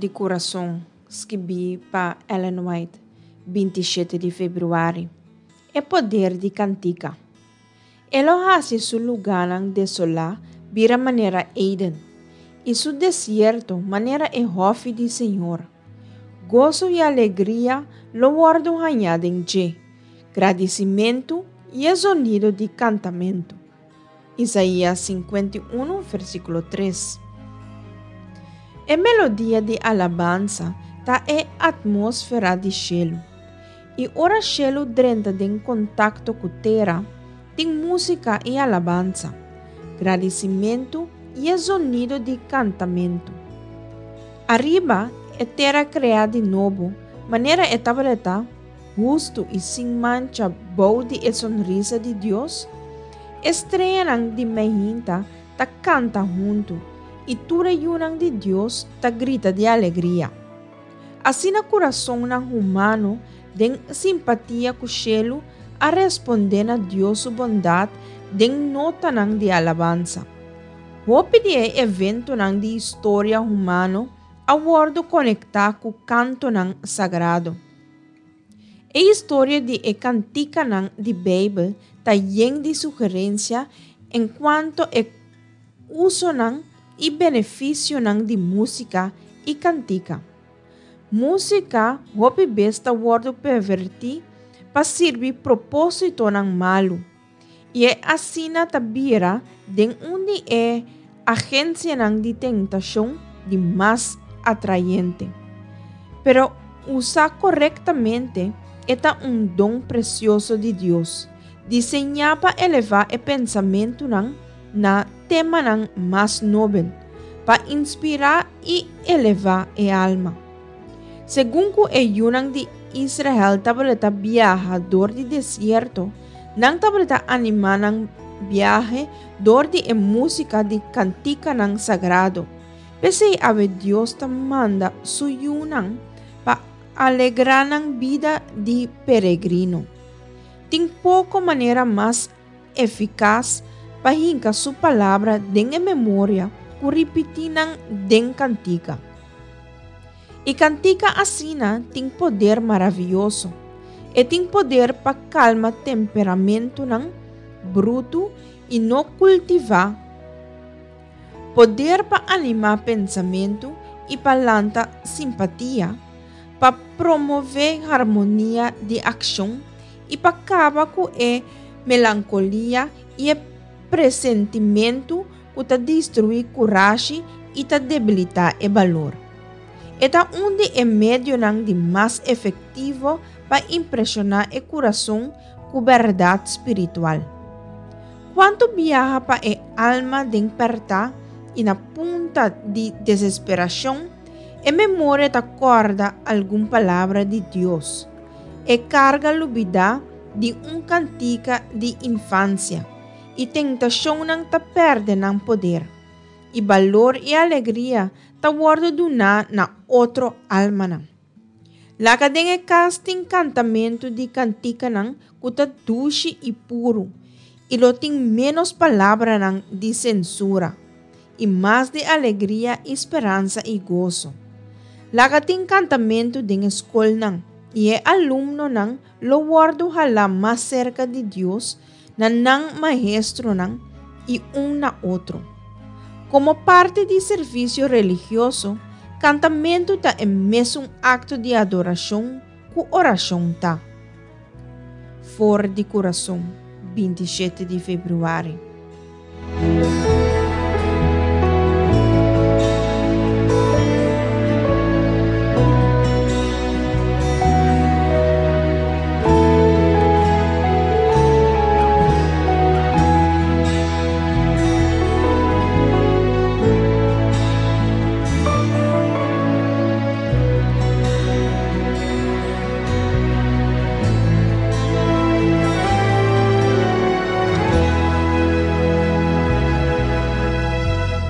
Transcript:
di Kurason, skibí pa Ellen White, 27 di febrüari. E poder di kantika. E lo hasi su lugánan desolá bira manera Eden, i su desierto manera e hòfi di señor. Goso i alegria lo wòrdu hañá den dje, gradisimentu i e zonido di kantamentu. Isaías 51, versíkulo 3. E melodia di alabansa ta e atmósfera di shelu. I ora shelu drenta den kontakto ku tera, tin músika i alabansa, gradisimentu i e zonido di kantamentu. Ariba e tera kreá di nobo, manera e tabata, hustu i sin mancha bou di e sonrisa di Dios, e streanan di meinta ta kanta huntu i tur e yunan di Dios ta grita di alegria. Asina kurasonnan humano den simpatia ku shelu a respondé na Dios su bondat den notanan di alabansa. Hopi di e eventonan di historia humano a wòrdu konektá ku kantonan sagrado. E historia di e kantikanan di Beibel ta yen di sugerensia enkuanto e usonan i benefisionan di músika i kantika. Músika hopi bes ta wòrdu pervertí pa sirbi propósitonan malu, i e asina ta bira den un di e agensianan di tentashon di mas atrayente. Pero usá korektamente, e ta un don presioso di Dios, diseñá pa elevá e pensamentunan na temanan mas nobel, pa inspirá i elevá e alma. Segun ku e yunan di Israel tabata biaha dor di desierto, nan tabata animá nan biahe dor di e músika di kantikanan sagrado. P'esei awe Dios ta manda su yunan pa alegrá nan bida di peregrino. Tin poko manera mas efikas pa hinka su palabra den e memoria ku ripití nan den kantika. I kantika asina tin poder maravioso. E tin poder pa kalma temperamentunan brutu i no kultivá, poder pa animá pensamentu i pa lanta simpatia, pa promové harmonia di akshon i pa kaba ku e melankolia i e presentimentu ku ta destruí kurashi i ta debilitá e balor. E ta un di e medionan di mas efektivo pa impreshoná e kurason ku bèrdat spiritual. Kuantu biaha pa e alma den pèrtá i na punta di desesperashon, e memoria ta kòrda algun palabra di Dios. E karga lubidá di un kantika di infansia, i tentashonnan ta pèrdè nan poder, i balor i alegria ta wòrdu duná na otro almanan. Laga den e kas tin kantamentu di kantikanan ku ta dushi i puru, i lo tin ménos palabranan di sensura, i mas di alegria i speransa i goso. Laga tin kantamentu den e skolnan, i e alumnonan lo wòrdu halá mas serka di Dios na nan maestronan i un na otro. Komo parti di servisio religioso, kantamentu ta e mesun akto di adorashon ku orashon ta. For di kurason, 27 di febrüari.